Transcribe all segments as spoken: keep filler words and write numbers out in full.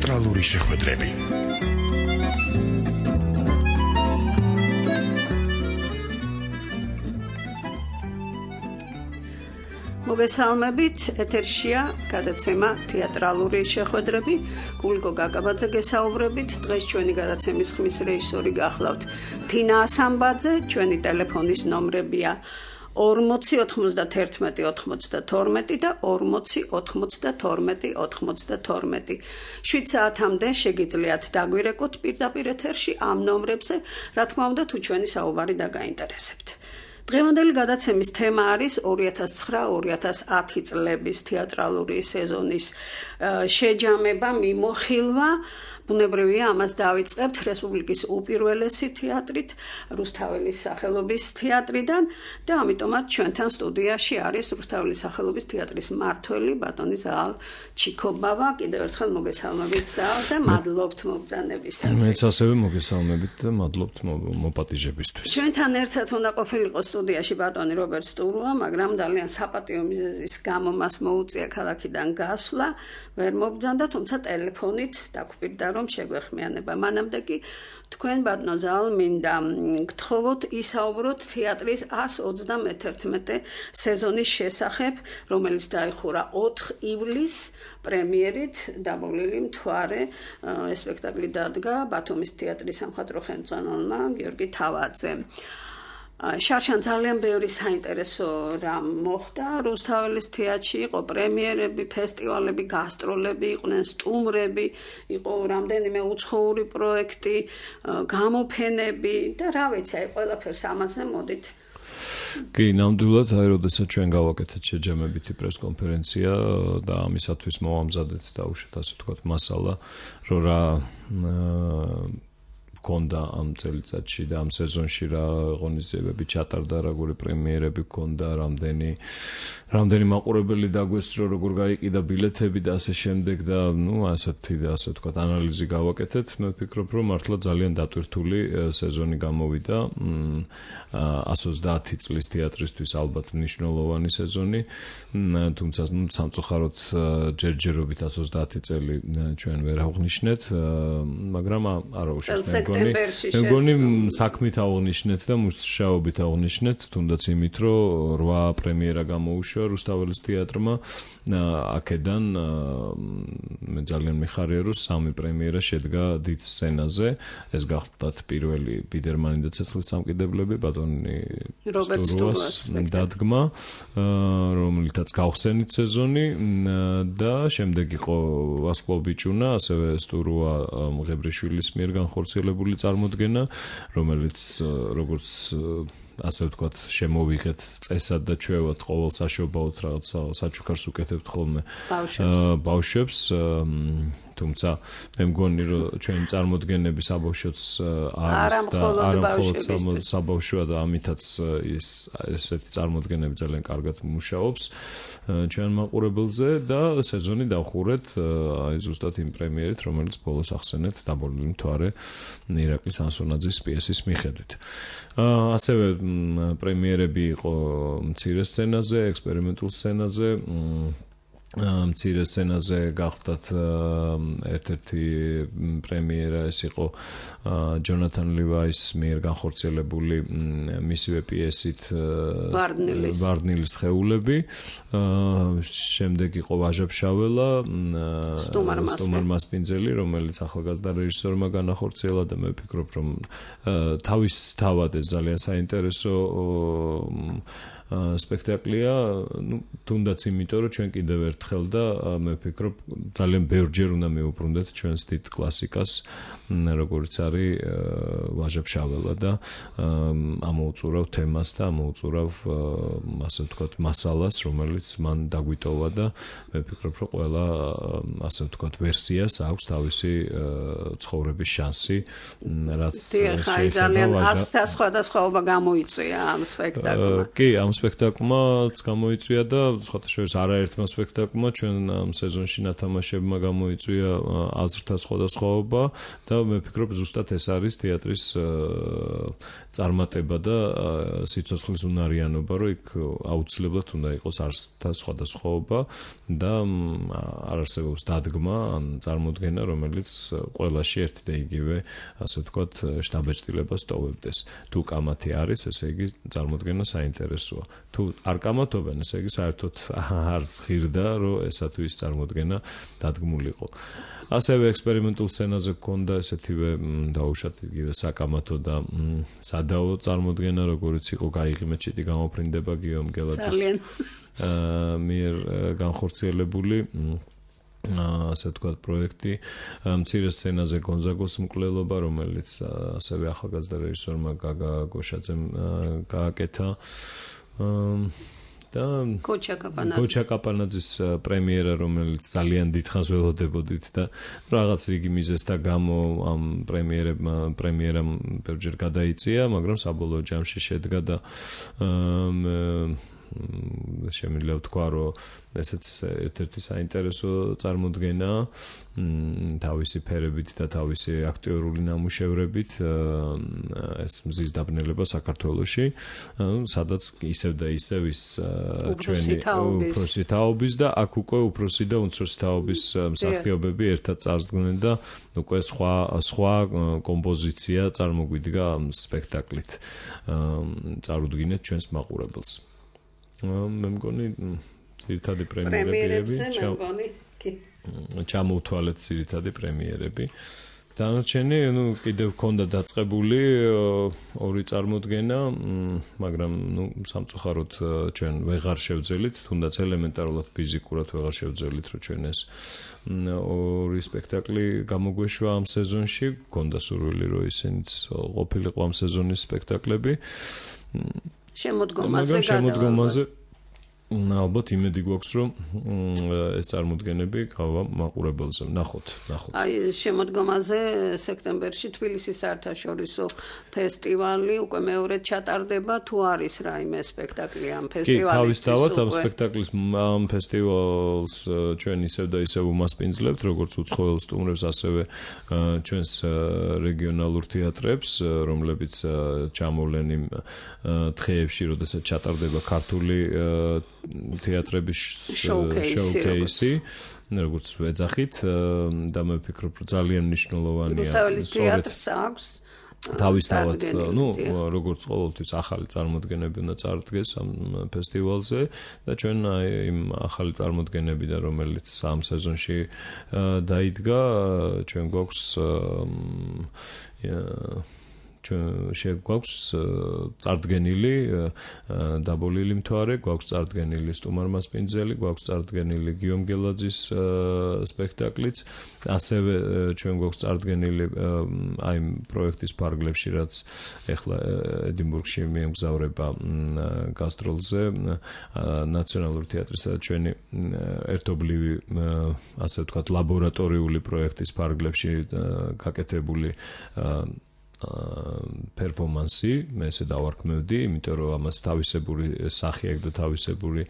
თეატრალური შეხვედრები. მოგესალმებით, ეთერშია გადაცემა თეატრალური შეხვედრები. გულიკო გაგაბაძე გესაუბრებით. დღეს ჩვენი გადაცემის ხმის რეჟისორი გახლავთ თინა ასამბაძე. ჩვენი ტელეფონის ნომრებია ორმოცი ოთხმოცდათერთმეტი ოცდათორმეტი და ორმოცი ოთხმოცდათორმეტი ოცდათორმეტი. შვიდ საათამდე შეგიძლიათ დაგვირეკოთ პირდაპირ ეთერში ამ ნომრებზე, რა თქმა უნდა, თუ ჩვენი საუბარი დაგაინტერესებთ. დღევანდელი გადაცემის თემა არის ორი ათას ცხრა ორი ათას ათი წლების თეატრალური სეზონის შეჯამება, მიმოხილვა. ბუნებრივია, ამას დავიწყებთ რესპუბლიკის უპირველესი თეატრით, რუსთაველის სახელობის თეატრიდან და ამიტომაც ჩვენთან სტუდიაში არის რუსთაველის სახელობის თეატრის მმართველი ბატონი ზაალ ჩიქობავა. კიდევ ერთხელ მოგესალმებით ზაალ და მადლობთ მობრძანებისათვის. მეც ასევე მოგესალმებით და მადლობთ მოპატიჟებისთვის. ჩვენთან ერთად უნდა ყოფილიყო სტუდიაში ბატონი რობერტ სტურუა, მაგრამ ძალიან საპატიო მიზეზის გამო მას მოუწია ქალაქიდან გასვლა, ვერ მობრძანდა, თუმცა ტელეფონით დაგვპირდა რომ შეგვეხმიანება. მანამდე კი თქვენ ბატონო ზაალ მინდა გთხოვოთ ისაუბროთ თეატრის ასს ოცდამეთერთმეტე სეზონის შესახებ, რომელიც დაიხურა ოთხ ივლისს პრემიერით დაბოლილი მთვარე. სპექტაკლი დადგა ბათუმის თეატრის სამხატვრო ხელმძღვანელმა გიორგი თავაძემ. შარშან ძალიან ბევრი საინტერესო რამ მოხდა რუსთაველის თეატრში, იყო პრემიერები, ფესტივალები, გასტროლები, იყვნენ სტუმრები, იყო რამდენიმე უცხოური პროექტი, გამოფენები და რა ვიცი, აი ყველაფერს ამაზე მოდით. კი, ნამდვილად, აი როდესაც ჩვენ გავაკეთეთ შეჯამებითი პრესკონფერენცია და ამისათვის მოვამზადეთ დაუშვათ ასე ვთქვათ მასალა, რომ რა კონდა ამ წელიწადში და ამ სეზონში რა ღონისძიებები ჩატარდა, როგორი პრემიერები ჰქონდა, რამდენი რამდენი მაყურებელი დაგვესწრო, როგორ გაიყიდა ბილეთები და ასე შემდეგ და ნუ ასეთი და ასე ვთქვათ ანალიზი გავაკეთეთ. მე ვფიქრობ, რომ მართლა ძალიან დატვირთული სეზონი გამოვიდა. ასს ოცდაათი წლის თეატრისთვის ალბათ მნიშვნელოვანი სეზონი, თუმცა ნუ სამწუხაროდ ჯერჯერობით ასს ოცდაათი წელი ჩვენ ვერ აღვნიშნეთ, მაგრამ არა უშავს მე მგონი საქმით აღვნიშნეთ და მუშაობით აღვნიშნეთ, თუნდაც იმით, რომ რვა პრემიერა გამოუშვა რუსთაველის თეატრმა. აქედან მე ძალიან მიხარია, რომ სამი პრემიერა შედგა დიდ სცენაზე. ეს გახლდათ პირველი ბიდერმანი და ცეცხლის სამკიდებლები, ბატონი რობერტ სტურუას დადგმა, რომლითაც გავხსენით სეზონი და შემდეგ იყო ვასკლავ ბიჭუნა, ასევე სტურუა მღებრიშვილის მიერ განხორციელებული წარმოდგენა, რომელიც როგორც ასე ვთქვათ, შემოვიღეთ წესად და ჩვევად ყოველ საშობაოდ რაღაც საჩუქარს უკეთებთ ხოლმე ბავშვებს, თუმცა მე მგონი, რომ ჩვენი წარმოდგენები საბავშვოც არის და არა მხოლოდ საბავშვოა და ამითაც ის ესეთი წარმოდგენები ძალიან კარგად მუშაობს ჩვენ მაყურებელზე და სეზონი დავხურეთ აი ზუსტად იმ პრემიერით, რომელიც ბოლოს ახსენეთ დაბოლილი მთვარე ირაკლის ანსონაძის პიესის მიხედვით. ასევე პრემიერები იყო მცირე სცენაზე, ექსპერიმენტულ სცენაზე, მცირე სცენაზე გახდათ ერთ-ერთი პრემიერა, ეს იყო ჯონათან ლივაის მიერ განხორციელებული მისივე პიესით ვარდნილის სხეულები. შემდეგ იყო ვაჟა-ფშაველა, სტუმარ მასპინძელი, რომელიც ახალგაზრდა რეჟისორმა განახორციელა და მე ვფიქრობ, რომ თავის თავად ეს ძალიან საინტერესო სპექტაკლია, ну, თუნდაც იმიტომ, რომ ჩვენ კიდევ ერთხელ და მე ვფიქრობ, ძალიან ბევრჯერ უნდა მივუბრუნდეთ ჩვენს დიდ კლასიკას, როგორც არის ვაჟა-ფშაველა და ამოუწურავ თემას და ამოუწურავ ასე ვთქვათ მასალას, რომელიც მან დაგვიტოვა და მე ვფიქრობ, რომ ყველა ასე ვთქვათ ვერსიას აქვს თავისი ცხოვრების შანსი, რაც შეიძლება ძალიან ასთა სხვადასხვაობა გამოიწვია ამ სპექტაკლმა. კი, ამ სპექტაკლმაც გამოიწვია და სხვათა შორის არაერთმა სპექტაკლმა ჩვენ ამ სეზონში ნათამაშებმა გამოიწვია აზრთა სხვადასხვაობა და მე ვფიქრობ ზუსტად ეს არის თეატრის წარმატება და სიცოცხლის უნარიანობა, რომ იქ აუცილებლად უნდა იყოს აზრთა სხვადასხვაობა და არ არსებობს დადგმა ან წარმოდგენა, რომელიც ყველაში ერთი და იგივე, ასე ვთქვათ, შთაბეჭდილებას ტოვებდეს. თუ კამათი არის, ესე იგი წარმოდგენა საინტერესოა. თუ არ კამათობენ, ესე იგი საერთოდ არ ზღირდა, რომ ესა თუ ის წარმოდგენა დადგმულიყო. ასევე ექსპერიმენტულ სცენაზე გქონდა ესეთივე დაუშვათ იგივე საკამათო და სადაო წარმოდგენა, როგორც იყო გაიღიმე ჩიტი გამოფრინდება გიომ გელაძის მიერ განხორციელებული ასე ვთქვათ პროექტი მცირე სცენაზე გონზაგოს მკვლელობა, რომელიც ასევე ახალგაზრდა რეჟისორმა გაგა გოშაძემ გააკეთა და გოჩა კაპანაძის პრემიერა, რომელიც ძალიან დიდხანს ველოდებოდით და რაღაც რიგი მიზეზთა გამო ამ პრემიერებმა პრემიერამ ბევრჯერ გადაიწია, მაგრამ საბოლოო ჯამში შედგა და შემიძლია ვთქვა, რომ ესეც ერთ-ერთი საინტერესო წარმოდგენაა თავისი ფერებით და თავისი აქტიორული ნამუშევრებით ეს მზის დაბნელება საქართველოში, სადაც ისევ და ისევ ის ჩვენი უფროსი თაობის და აქ უკვე უფროსი და უმცროსი თაობის მსახიობები ერთად წარსდგნენ და უკვე სხვა სხვა კომპოზიცია წარმოგვიდგა ამ სპექტაკლით წარუდგინეთ ჩვენს მაყურებელს. მე მგონი ძირითადი პრემიერები ჩამოვთვალეთ ძირითადი პრემიერები. დანარჩენი, ну, კიდევ ქონდა დაწყებული ორი წარმოდგენა, მაგრამ ну, სამწუხაროდ ჩვენ ვეღარ შევძელით, თუნდაც ელემენტარულად ფიზიკურად ვეღარ შევძელით, რომ ჩვენ ეს ორი სპექტაკლი გამოგვეშვა ამ სეზონში, ქონდა სურვილი, რომ ისინიც ყოფილიყო ამ სეზონის სპექტაკლები. შემოდგომაზე შემოდგომაზე ალბათ იმედი გვაქვს, რომ ეს წარმოდგენები გავა მაყურებელზე. ნახოთ, ნახოთ. აი, შემოდგომაზე სექტემბერში თბილისის საერთაშორისო ფესტივალი უკვე მეორედ ჩატარდება, თუ არის რაიმე სპექტაკლი ამ ფესტივალის. კი, თავისთავად ამ სპექტაკლის ამ ფესტივალს ჩვენ ისევ და ისევ უმასპინძლებთ, როგორც უცხოელ სტუმრებს, ასევე ჩვენს რეგიონალურ თეატრებს, რომლებიც ჩამოვლენ იმ დღეებში, როდესაც ჩატარდება ქართული თეატრების შოუკეისი, როგორც ვეძახით და მე ვფიქრობ, რომ ძალიან მნიშვნელოვანია თეატრს აქვს თავისთავად, ну, როგორც ყოველთვის ახალი წარმოდგენები უნდა წარდგეს ამ ფესტივალზე და ჩვენ იმ ახალი წარმოდგენებიდან, რომელიც ამ სეზონში დაიდგა, ჩვენ გვაქვს ჩვენ შეგვაქვს წარდგენილი დაბოლილი მთვარე, გვაქვს წარდგენილი სტუმარ მასპინძელი, გვაქვს წარდგენილი გიომ გელაძის სპექტაკლიც, ასევე ჩვენ გვაქვს წარდგენილი აი პროექტის ფარგლებში, რაც ეხლა ედინბურგში მიემგზავრება გასტროლზე ნაციონალური თეატრისა და ჩვენი ერთობლივი ასე ვთქვათ ლაბორატორიული პროექტის ფარგლებში გაკეთებული პერფორმანსი, მე ესე დავარქმევდი, იმიტომ რომ ამას თავისებური სახე აქვს და თავისებური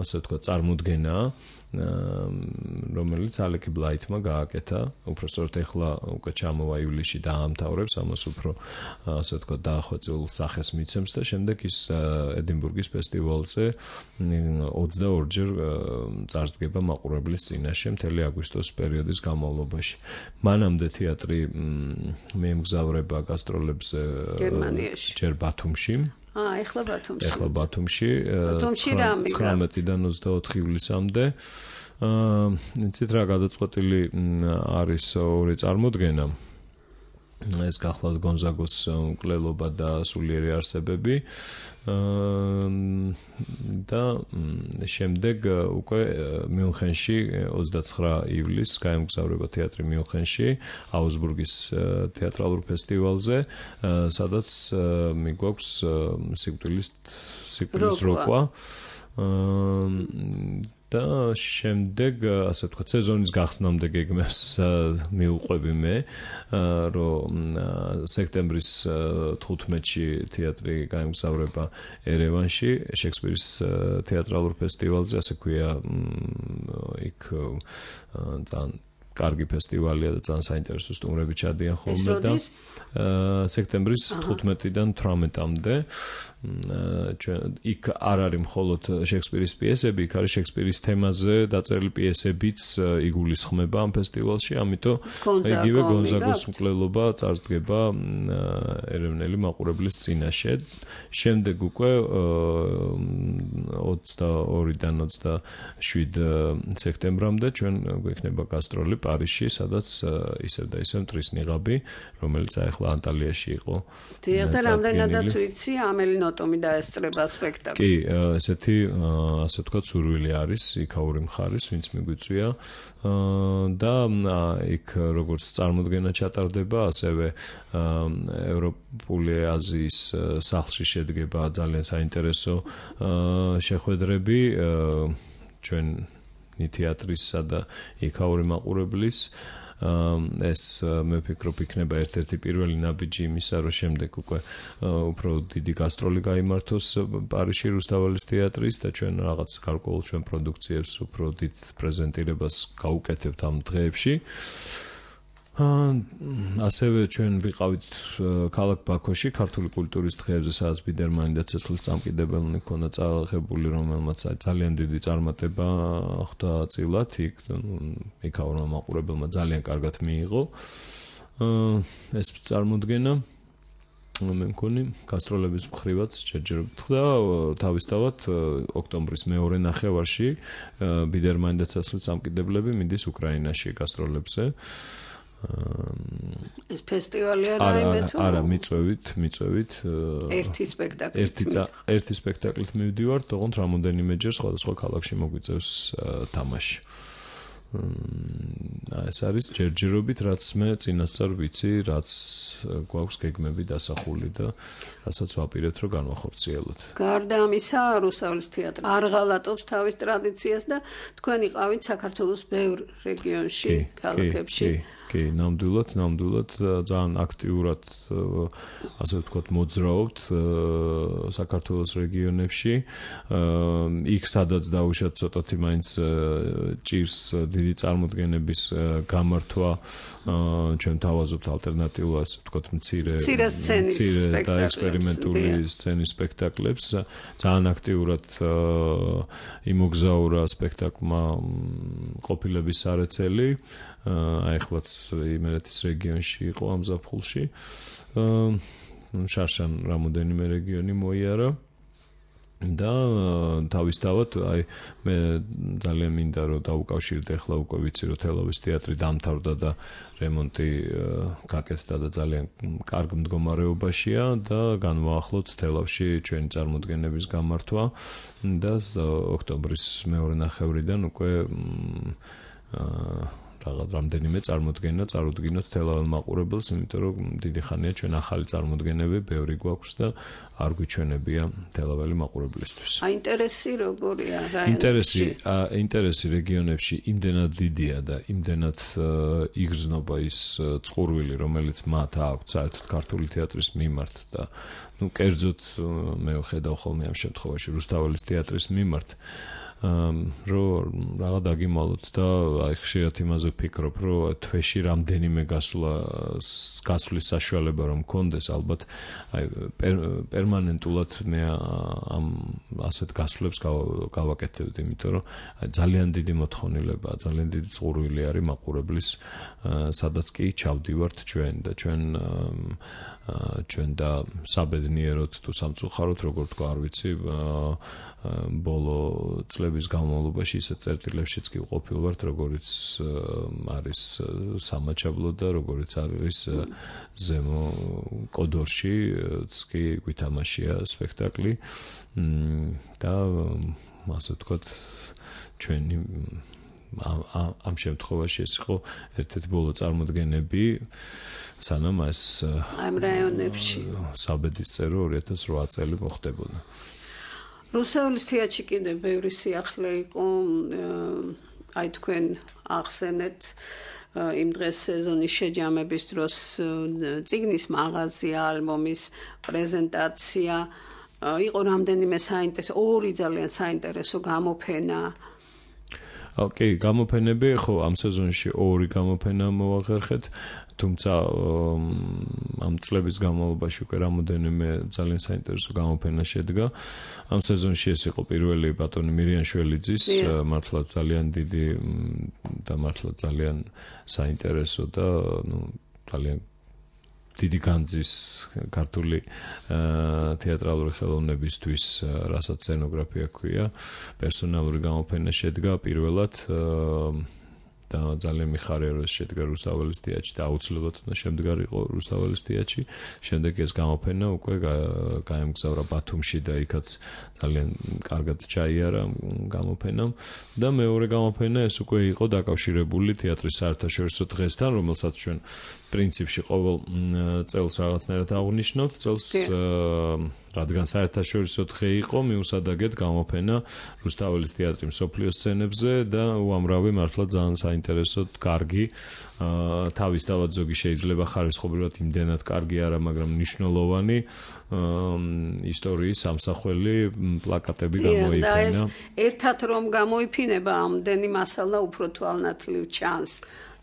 ასე ვთქვათ წარმოდგენაა, რომელიც ალექი ბლაითმა გააკეთა. უпроსტოდ ეხლა უკვე ჩამოვა ივლისში დაამთავრებს, ამას უფრო ასე ვთქვათ დაახვეწილ სახეს მიცემს და შემდეგ ის ედინბურგის ფესტივალზე ოცდაორჯერ წარსდგება მაყურებლის წინაშე მთელი აგვისტოს პერიოდის განმავლობაში. მანამდე თეატრი მიემგზავრება გასტროლებზე გერმანიაში, ჯერ ბათუმში. აა, ეხლა ბათუმში. ეხლა ბათუმში. ბათუმში რა მიგა? ცხრამეტიდან ოცდაოთხი ივლისამდე. აა, იცით რა გადაწყვეტილი არის ორი წარმოდგენა. ეს გახლავთ გონზაგოს მკვლელობა და სულიერი არსებები. და შემდეგ უკვე მიუნხენში ოცდაცხრა ივლისს გაემგზავრება თეატრი მიუნხენში აუსბურგის თეატრალურ ფესტივალზე, სადაც მიგვაქვს სიკვდილის სიკვდილის როკვა. და შემდეგ ასე ვთქვათ სეზონის გახსნამდე გეგმებს მიუყვები მე რომ სექტემბრის თხუთმეტში თეატრი გაემგზავრება ერევანში შექსპირის თეატრალურ ფესტივალზე ასე ქვია იქ თან კარგი ფესტივალია და ძალიან საინტერესო სტუმრები ჩადიან ხოლმე და სექტემბრის თხუთმეტიდან თვრამეტამდე იქ არ არის მხოლოდ შექსპირის პიესები, იქ არის შექსპირის თემაზე დაწერილი პიესებიც იგულისხმება ამ ფესტივალში, ამიტომ იგივე გონზაგოს მკვლელობა წარსდგება ერევნელი მაყურებლის წინაშე. შემდეგ უკვე ოცდაორიდან ოცდაშვიდ სექტემბრამდე ჩვენ გვექნება გასტროლი პარიზში, სადაც ისევ და ისევ მტრის ნიღაბი, რომელიც ახლა ანტალიაში იყო. დიახ, და რამდენადაც ვიცი, ამელი ნოტომი დაესწრება სპექტაკლს. კი, ესეთი ასე ვთქვათ სურვილი არის იქაური მხარის, ვინც მიგვიწვია და იქ როგორც წარმოდგენა ჩატარდება, ასევე ევროპული აზიის სახლში შედგება ძალიან საინტერესო შეხვედრები ჩვენ თეატრისა და იქაური მაყურებლის ეს მე ვფიქრობ იქნება ერთ-ერთი პირველი ნაბიჯი იმისა, რომ შემდეგ უკვე უფრო დიდი გასტროლი გაიმართოს პარიზში რუსთაველის თეატრის და ჩვენ რაღაც გარკვეულ ჩვენ პროდუქციებს უფრო დიდ პრეზენტირებას გავუკეთებთ ამ დღეებში. ასევე ჩვენ ვიყავით ქალაქ ბაქოში ქართული კულტურის დღეებზე, სადაც ბიდერმანი და ცეცხლის წამკიდებელნი ქონდა წაღებული, რომელმაც ძალიან დიდი წარმატება ხვდა წილად, იქ იქაურმა მაყურებელმა ძალიან კარგად მიიღო ეს წარმოდგენა. მე მგონი გასტროლების მხრივაც ჯერჯერობით და თავისთავად ოქტომბრის მეორე ნახევარში ბიდერმანი და ცეცხლის წამკიდებლები მიდის უკრაინაში გასტროლებზე. ეს ფესტივალი არა თუ არა მიწვევით მიწვევით ერთი სპექტაკლი ერთი ერთი სპექტაკლით მივდივართ, თუმცა რამოდენიმეჯერ სხვადასხვა ქალაქში მოგვიწევს თამაში. ეს არის ჯერჯერობით, რაც მე წინასწარ ვიცი, რაც გვაქვს გეგმები დასახული და რასაც ვაპირებთ, რომ განვახორციელოთ. გარდა ამისა, რუსთაველის თეატრი არ ღალატობს თავის ტრადიციას და თქვენ იყავით საქართველოს ბევრ რეგიონში, ქალაქებში. კი, ნამდვილად, ნამდვილად ძალიან აქტიურად ასე ვთქვათ მოძრაობთ საქართველოს რეგიონებში. იქ სადაც დაუშვათ ცოტათი მაინც ჭირს დიდი წარმოდგენების გამართვა, ჩვენ თავაზობთ ალტერნატიულ ასე ვთქვათ მცირე მცირე და ექსპერიმენტული სცენის სპექტაკლებს. ძალიან აქტიურად იმოგზაურა სპექტაკლმა ყოფილების სარეცელი. აიხლაც იმერეთის რეგიონში იყო ამ ზაფხულში. შარშან რამოდენიმე რეგიონი მოიარა და თავისთავად აი მე ძალიან მინდა რომ დავუკავშირდე, ახლა უკვე ვიცი რომ თელავის თეატრი დამთავრდა და რემონტი გაკეთდა და ძალიან კარგ მდგომარეობაშია და განვაახლოთ თელავში ჩვენი წარმოდგენების გამართვა და ოქტომბრის მეორე ნახევრიდან უკვე რაღაც რამდენიმე წარმოდგენა წარუდგინოთ თელავალ მაყურებელს, იმიტომ რომ დიდი ხანია ჩვენ ახალი წარმოდგენები ბევრი გვაქვს და არ გვიჩვენებია თელავალი მაყურებლისთვის. აი ინტერესი როგორია რა? ინტერესი, ინტერესი რეგიონებში იმდენად დიდია და იმდენად იგრძნობა ის წყურვილი, რომელიც მათ აქვს საერთოდ ქართული თეატრის მიმართ და ნუ კერძოდ მე ვხედავ ხოლმე ამ შემთხვევაში რუსთაველის თეატრის მიმართ. რომ რაღაც დაგიმალოთ და აი ხშირად იმაზე ვფიქრობ, რომ თვეში რამდენიმე გასვლა გასვლის საშუალება რომ მქონდეს, ალბათ აი პერმანენტულად მე ამ ასეთ გასვლებს გავაკეთებდი, იმიტომ რომ აი ძალიან დიდი მოთხოვნილება, ძალიან დიდი წყურვილი არის მაყურებლის, სადაც კი ჩავდივართ ჩვენ და ჩვენ ჩვენ და საბედნიეროდ თუ სამწუხაროდ, როგორ თქვა, არ ვიცი, ბოლო წლების განმავლობაში ისეთ წერტილებშიც კი ვყოფილვართ, როგორიც არის სამაჩაბლო და როგორიც არის ზემო კოდორში კი გვითამაშია სპექტაკლი და ასე ვთქვათ ჩვენი ამ შემთხვევაში ეს იყო ერთ-ერთი ბოლო წარმოდგენები სანამ ეს ამ რაიონებში საბედის წერო ორი ათას რვა წელი მოხდებოდა. რუსთაველის თეატრში კიდე ბევრი სიახლე იყო, აი თქვენ ახსენეთ იმ დღეს სეზონის შეჯამების დროს წიგნის მაღაზია, ალბომის პრეზენტაცია, იყო რამდენიმე საინტერესო, ორი ძალიან საინტერესო გამოფენა. ოკეი, გამოფენები, ხო, ამ სეზონში ორი გამოფენა მოვახერხეთ, თუმცა ამ წლების განმავლობაში უკვე რამოდენიმე ძალიან საინტერესო გამოფენა შედგა. ამ სეზონში ეს იყო პირველი ბატონი მირიან შველიძის, მართლა ძალიან დიდი და მართლა ძალიან საინტერესო და ნუ ძალიან დიდი განძის ქართული თეატრალური ხელოვნებისთვის, რასაც სცენოგრაფია ქვია, პერსონალური გამოფენა შედგა პირველად და ძალიან მიხარია რომ შედგა რუსთაველის თეატრში და აუცილებლად უნდა შემდგარიყო რუსთაველის თეატრში. შემდეგ ეს გამოფენა უკვე გაემგზავრა ბათუმში და იქაც ძალიან კარგად ჩაიარა გამოფენამ და მეორე გამოფენა ეს უკვე იყო დაკავშირებული თეატრის საერთაშორისო დღესთან, რომელსაც ჩვენ პრინციპში ყოველ წელს რაღაცნაირად აღვნიშნოთ. წელს რადგან საერთაშორისო დღე იყო, მიუსადაგეთ გამოფენა რუსთაველის თეატრი მსოფლიო სცენებზე და უამრავი მართლა ძალიან საინტერესო, კარგი, თავისთავად ზოგი შეიძლება ხარისხობრივად იმდენად კარგი არა, მაგრამ მნიშვნელოვანი ისტორიის სამსახველი პლაკატები გამოიფინა. და ეს ერთად რომ გამოიფინება, ამდენი მასალა უფრო თვალნათლივ ჩანს.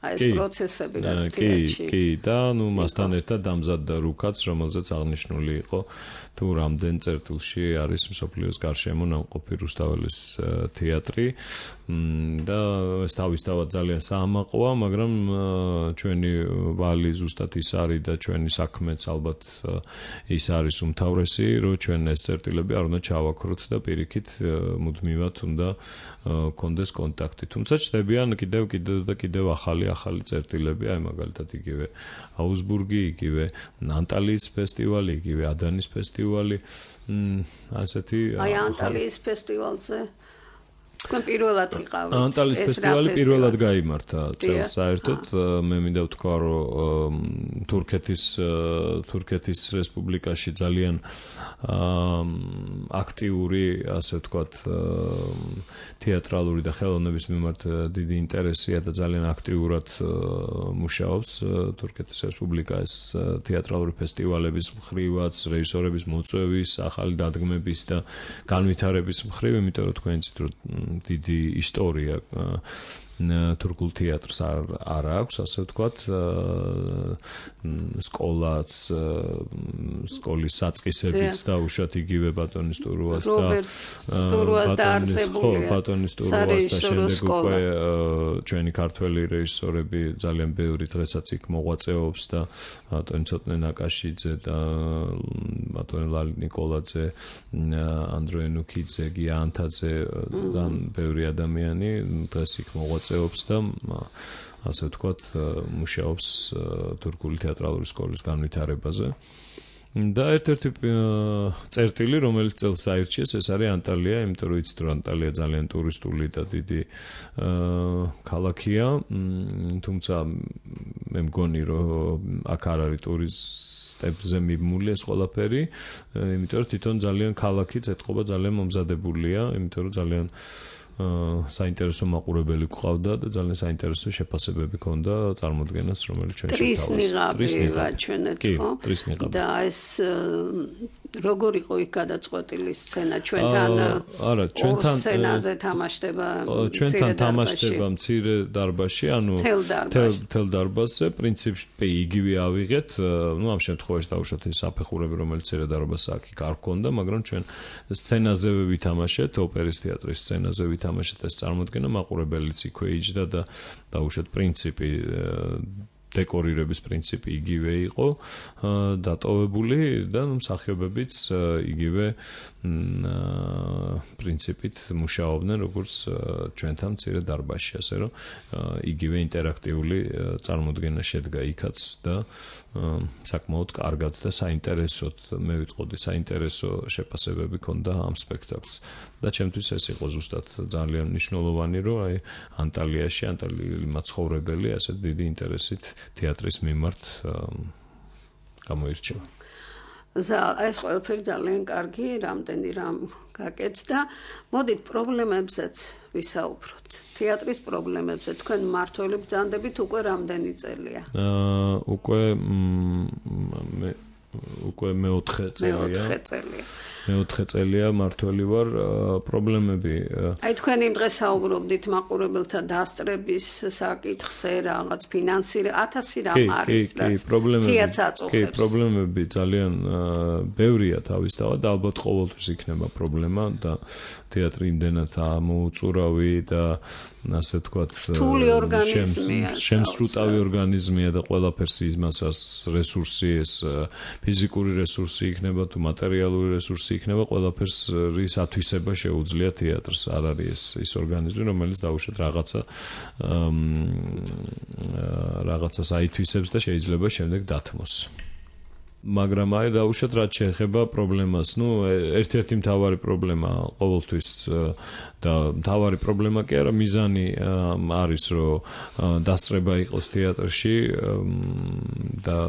ეს პროცესები რაც თეატრში. კი, და ნუ მასთან ერთად დამზადდა რუკაც, რომელზეც აღნიშნული იყო თუ რამდენ წერტილში არის მსოფლიოს გარშემო ნამყოფი რუსთაველის თეატრი და ეს თავისთავად ძალიან საამაყოა, მაგრამ ჩვენი ვალი ზუსტად ის არის და ჩვენი საქმეც ალბათ ის არის უმთავრესი, რომ ჩვენ ეს წერტილები არ უნდა ჩავაქროთ და პირიქით მუდმივად უნდა კონდეს კონტაქტი. თუმცა ჩნდებიან კიდევ კიდევ და კიდევ ახალი ახალი წერტილები, აი მაგალითად იგივე აუსბურგი, იგივე ანტალიის ფესტივალი, იგივე ადანის ფესტივალი, ასეთი აი ანტალიის ფესტივალზე თქვენ პირველად იყავით. ანტალიის ფესტივალი პირველად გაიმართა წელს საერთოდ. მე მინდა ვთქვა, რომ თურქეთის თურქეთის რესპუბლიკაში ძალიან აქტიური, ასე ვთქვათ, თეატრალური და ხელოვნების მიმართ დიდი ინტერესია და ძალიან აქტიურად მუშაობს თურქეთის რესპუბლიკა ეს თეატრალური ფესტივალების მხრივაც, რეჟისორების მოწვევის, ახალი დადგმების და განვითარების მხრივ, იმიტომ რომ თქვენ იცით, რომ დიდი ისტორია თურქულ თეატრს არ აქვს, ასე ვთქვათ, სკოლაც, სკოლის საწყისებიც და უშუალოდ იგივე ბატონის ტურუას და სტურუას დაარსებულია. ბატონის ტურუას და შემდეგ უკვე ჩვენი ქართველი რეჟისორები ძალიან ბევრი დღესაც იქ მოღვაწეობს და ბატონი ცოტნე ნაკაშიძე და ბატონი ლალი ნიკოლაძე, ანდროე ნუქიძე, გია ანთაძე და ბევრი ადამიანი დღეს იქ მოღვაწეობს და ასე ვთქვათ, მუშაობს თურქული თეატრალური სკოლის განვითარებაზე. და ერთ-ერთი წერტილი, რომელიც წელს აირჩიეს, ეს არის ანტალია, იმიტომ რომ იცით, რომ ანტალია ძალიან ტურისტული და დიდი ქალაქია, თუმცა მე მგონი, რომ აქ არ არის ტურისტებზე მიმული ეს ყველაფერი, იმიტომ რომ თვითონ ძალიან ქალაქიც ეთყობა ძალიან მომზადებულია, იმიტომ რომ ძალიან საინტერესო მაყურებელი გვყავდა და ძალიან საინტერესო შეფასებები ჰქონდა წარმოდგენას, რომელიც ჩვენ შევთავაზეთ. ტრისნიღაბი ჩვენეთ, ხო? და ეს როგორ იყო იქ გადაწყვეტილი სცენა ჩვენთან? არა, ჩვენთან სცენაზე თამაშდება. ჩვენთან თამაშდება მცირე დარბაზში, ანუ თელ დარბაზზე, პრინციპში იგივე ავიღეთ, ну ამ შემთხვევაში დავუშვათ ეს საფეხურები, რომელიც მცირე დარბაზს აქ იქ არ ჰქონდა, მაგრამ ჩვენ სცენაზევე ვითამაშეთ, ოპერის თეატრის სცენაზე ვითამაშეთ ეს წარმოდგენა, მაყურებელიც იქვე იჯდა და დავუშვათ პრინციპი დეკორირების პრინციპი იგივე იყო დატოვებული და მსახიობებიც იგივე პრინციპით მუშაობდნენ როგორც ჩვენთან მცირე დარბაზში, ასე რომ იგივე ინტერაქტიული წარმოდგენა შედგა იქაც და საკმაოდ კარგად და საინტერესოდ მე ვიტყოდი საინტერესო შეფასებები ჰქონდა ამ სპექტაკლს და ჩემთვის ეს იყო ზუსტად ძალიან მნიშვნელოვანი, რომ აი ანტალიაში ანტალიელი მაცხოვრებელი ასეთ დიდი ინტერესით თეატრის მიმართ გამოირჩევა. ეს ყველაფერი ძალიან კარგი, რამდენი რამ გაკეთდა. მოდით პრობლემებზეც ვისაუბროთ. თეატრის პრობლემებზე თქვენ მმართველი ბრძანდებით უკვე რამდენი წელია? აა უკვე მე უკვე მეოთხე წელია. მეოთხე წელია. მეოთხე წელია მმართველი ვარ, პრობლემები. აი თქვენ იმ დღეს საუბრობდით მაყურებელთა დასწრების საკითხზე, რაღაც ფინანსი, ათასი რამ არის, რაც თეატრს აწუხებს. კი, პრობლემები ძალიან ბევრია თავისთავად, ალბათ ყოველთვის იქნება პრობლემა და თეატრი იმდენად ამოუწურავი და ასე ვთქვათ, შემსრუტავი ორგანიზმია და ყველაფერს იმასაც რესურსი, ეს ფიზიკური რესურსი იქნება თუ მატერიალური რესურსი იქნება, ყველაფერს რის ათვისება შეუძლია თეატრს. არ არის ეს ის ორგანიზმი, რომელიც დაუშვათ რაღაცა რაღაცას აითვისებს და შეიძლება შემდეგ დათმოს. მაგრამ აი დაუშვათ რაც შეეხება პრობლემას, ნუ ერთ-ერთი მთავარი პრობლემა ყოველთვის და მთავარი პრობლემა კი არა, მიზანი არის რომ დასწრება იყოს თეატრში და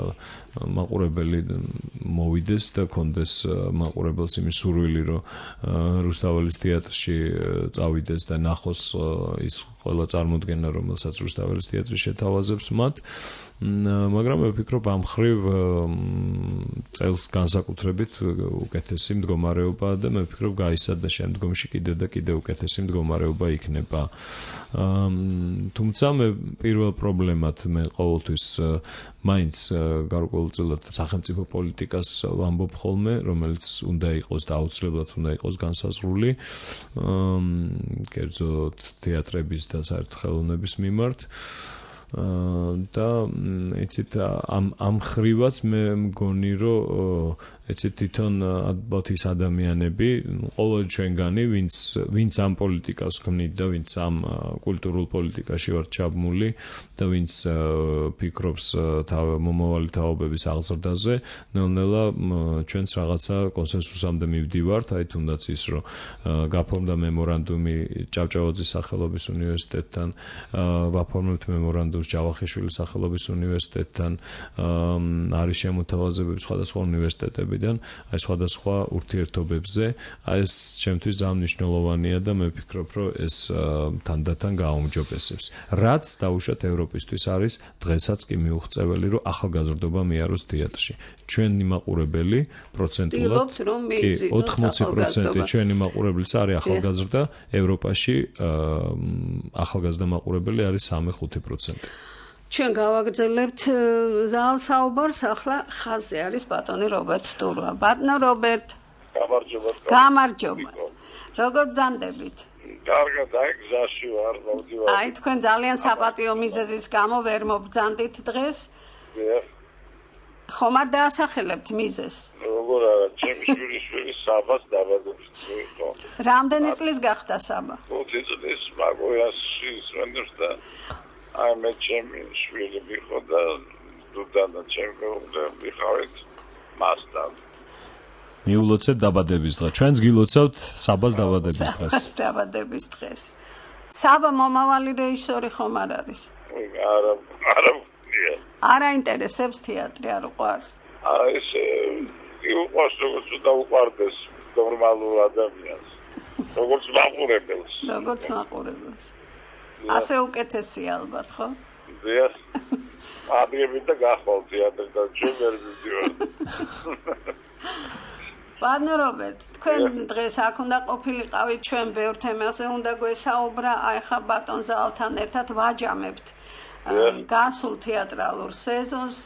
მაყურებელი მოვიდეს და კონდეს მაყურებელს იმის სურვილი რომ რუსთაველის თეატრში წავიდეს და ნახოს ის ყველა წარმოდგენა რომელსაც რუსთაველის თეატრი შეთავაზებს მათ, მაგრამ მე ვფიქრობ ამ ხრივ წელს განსაკუთრებით უკეთესი მდგომარეობაა და მე ვფიქრობ გაისადა შემდგომში კიდევ და კიდევ უკეთესი მდგომარეობა იქნება. თუმცა მე პირველ პრობლემად მე ყოველთვის მაინც გარკვეულწილად სახელმწიფო პოლიტიკას ვამბობ ხოლმე, რომელიც უნდა იყოს და აუცილებლად უნდა იყოს განსაზღვრული კერძოდ თეატრების და საერთო ხელოვნების მიმართ. და იცით ამ ამ ხრივაც მე მგონი რომ ეცეთ თვითონ ალბათ ის ადამიანები ყოველ ჩვენგანი ვინც ვინც ამ პოლიტიკას ქმნით და ვინც ამ კულტურულ პოლიტიკაში ვართ ჩაბმული და ვინც ფიქრობს მომავალი თაობების აღზრდაზე, ნელ-ნელა ჩვენც რაღაცა კონსენსუსამდე მივდივართ, აი თუნდაც ის რომ გაფორმდა მემორანდუმი ჭავჭავაძის სახელობის უნივერსიტეტთან, ვაფორმებთ მემორანდუმს ჯავახიშვილის სახელობის უნივერსიტეტთან, არის შემოთავაზებები სხვადასხვა უნივერსიტეტები აი სხვადასხვა ურთიერთობებზე, აი ეს ჩემთვის ძალიან მნიშვნელოვანია და მე ვფიქრობ, რომ ეს თანდათან გააუმჯობესებს. რაც დაუშვათ ევროპისთვის არის დღესაც კი მიუღწეველი, რომ ახალგაზრდობა მიაროს თეატრში. ჩვენი მაყურებელი პროცენტულად კი ოთხმოცი პროცენტი ჩვენი მაყურებლის არის ახალგაზრდა, ევროპაში ახალგაზრდა მაყურებელი არის სამი ხუთი პროცენტი. ჩვენ გავაგრძელებთ ზალ საუბარს, ახლა ხაზზე არის ბატონი რობერტ სტურვა. ბატონო რობერტ. გამარჯობა. გამარჯობა. როგორ ბრძანდებით? კარგად, აი გზაში ვარ, მოვდივარ. აი თქვენ ძალიან საპატიო მიზეზის გამო ვერ მობრძანდით დღეს? დიახ. ხომ არ დაასახელებთ მიზეზს? როგორ არა, ჩემი შვილი საბას დაბადებს იყო. რამდენი წლის გახდა საბა? ხუთი წლის მაგოიასში ისვენებს და აი მე ჩემი შვილი ვიყო და დუდანა ჩემი ვიყავით მასთან. მიულოცეთ დაბადების დღე. ჩვენც გილოცავთ საბას დაბადების დღეს. საბას დაბადების დღეს. საბა მომავალი რეჟისორი ხომ არ არის? არა, არა. არ აინტერესებს თეატრი, არ უყვარს? არა, ეს უყვარს, როგორც უნდა უყვარდეს ნორმალურ ადამიანს. როგორც მაყურებელს. როგორც მაყურებელს. ასე უკეთესია ალბათ, ხო? დიახ. ადგები და გახვალ თეატრს და ჩვენ ვერ ვიდივართ. ბატონო რობერტ, თქვენ დღეს აქ უნდა ყოფილიყავით, ჩვენ ბევრ თემაზე უნდა გვესაუბრა, აი ხა ბატონ ზალთან ერთად ვაჯამებთ გასულ თეატრალურ სეზონს.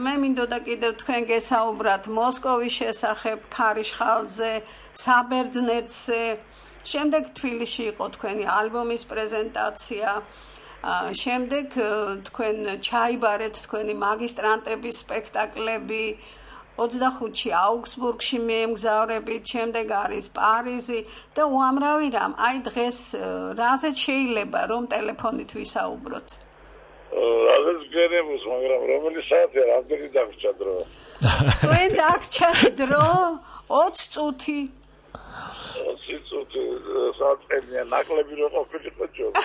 მე მინდოდა კიდევ თქვენ გესაუბრათ მოსკოვის შესახებ, ქარიშხალზე, საბერძნეთზე. შემდეგ თბილისში იყო თქვენი ალბომის პრეზენტაცია. შემდეგ თქვენ ჩაიბარეთ თქვენი მაგისტრანტების სპექტაკლები. ოცდახუთში აუგსბურგში მიემგზავრებით, შემდეგ არის პარიზი და უამრავი რამ. აი დღეს რაზეც შეიძლება რომ ტელეფონით ვისაუბროთ? რაზეც გერემოს, მაგრამ რომელი საათია, რამდენი დაგვრჩა დრო? თქვენ დაგვრჩათ დრო? ოცი წუთი. ოცი წუთი საათია, ნაკლები რო ყოფილიყო ჯობდა.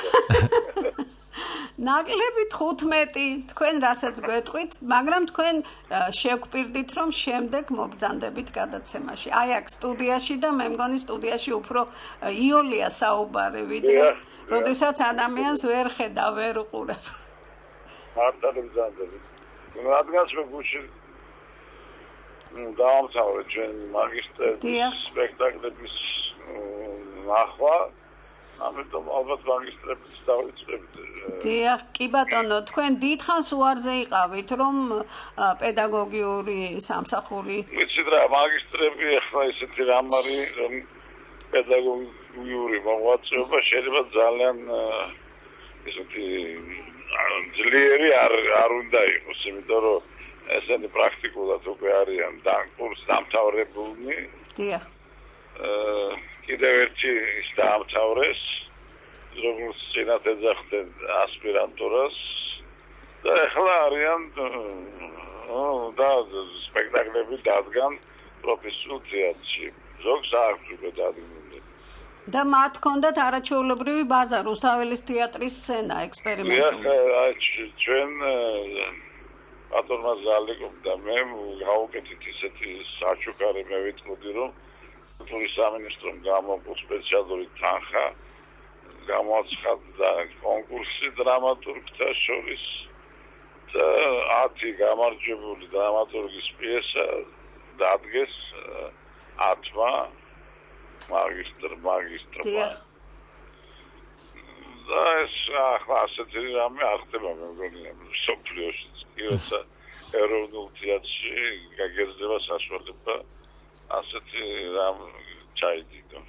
ნაკლები თხუთმეტი თქვენ რასაც გვეტყვით, მაგრამ თქვენ შეგგვპირდით რომ შემდეგ მობრძანდებით გადაცემაში. აი აქ სტუდიაში და მე მგონი სტუდიაში უფრო იოლია საუბარი ვიდრე როდესაც ადამიანს ვერ ხედა, ვერ უყურებ. მართალი ბრძანდები. რადგანაც მე გუში დაამთავრე ჩვენ მაგისტრის სპექტაკლების ნახვა, ამიტომ ალბათ მაგისტრებს დავიწყებთ. დიახ, კი ბატონო, თქვენ დიდხანს უარზე იყავით, რომ პედაგოგიური სამსახური. ვიცით რა, მაგისტრები ახლა ისეთი რამ არის, რომ პედაგოგიური მოღვაწეობა შეიძლება ძალიან ისეთი ძლიერი არ არ უნდა იყოს, იმიტომ რომ ესენი პრაქტიკულად უკვე არიან კურს დამთავრებულნი. დიახ. კიდევ ერთი ის დაამთავრეს, როგორც წინათ ეძახდნენ ასპირანტურას და ახლა არიან და სპექტაკლები დადგან პროფესიულ თეატრში. ზოგს აქვს უკვე დადგმული. და მათ ჰქონდათ არაჩვეულებრივი ბაზა რუსთაველის თეატრის სცენა ექსპერიმენტული. ჩვენ ბატონმა ზალიკომ და მე გავუკეთეთ ისეთი საჩუქარი მე ვიტყოდი რომ კულტურის სამინისტრომ გამოყო სპეციალური თანხა გამოაცხადა კონკურსი დრამატურგთა შორის და ათი გამარჯვებული დრამატურგის პიესა დადგეს ათმა მაგისტრ მაგისტრმა და ეს ახლა ასეთი რამე არ ხდება მე მგონი სოფლიოში როცა ეროვნულ თეატრში გაგერძება საშუალება ასეთი რამ ჩაიდიდო.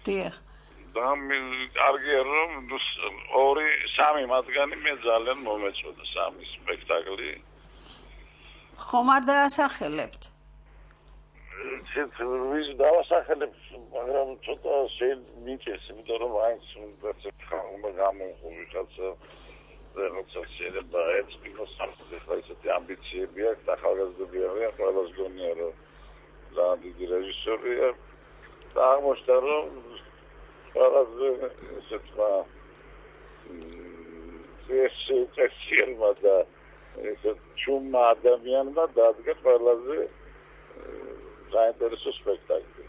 დიახ. და მე კარგია რომ ორი სამი მათგანი მე ძალიან მომეწონა სამი სპექტაკლი. ხომ არ დაასახელებთ? ვის დავასახელებ, მაგრამ ცოტა შეიმიჭეს, იმიტომ რომ აინც უნდა გამოიყო ვიღაცა როცა შეიძლება ეცნიკოს სამხედრო ისეთი ამბიციები აქვს, ახალგაზრდები არიან, ყველას გონია რომ ძალიან დიდი რეჟისორია და აღმოჩნდა რომ ყველაზე ესეთმა წესიერმა და ესეთ ჩუმმა ადამიანმა დადგა ყველაზე საინტერესო სპექტაკლი.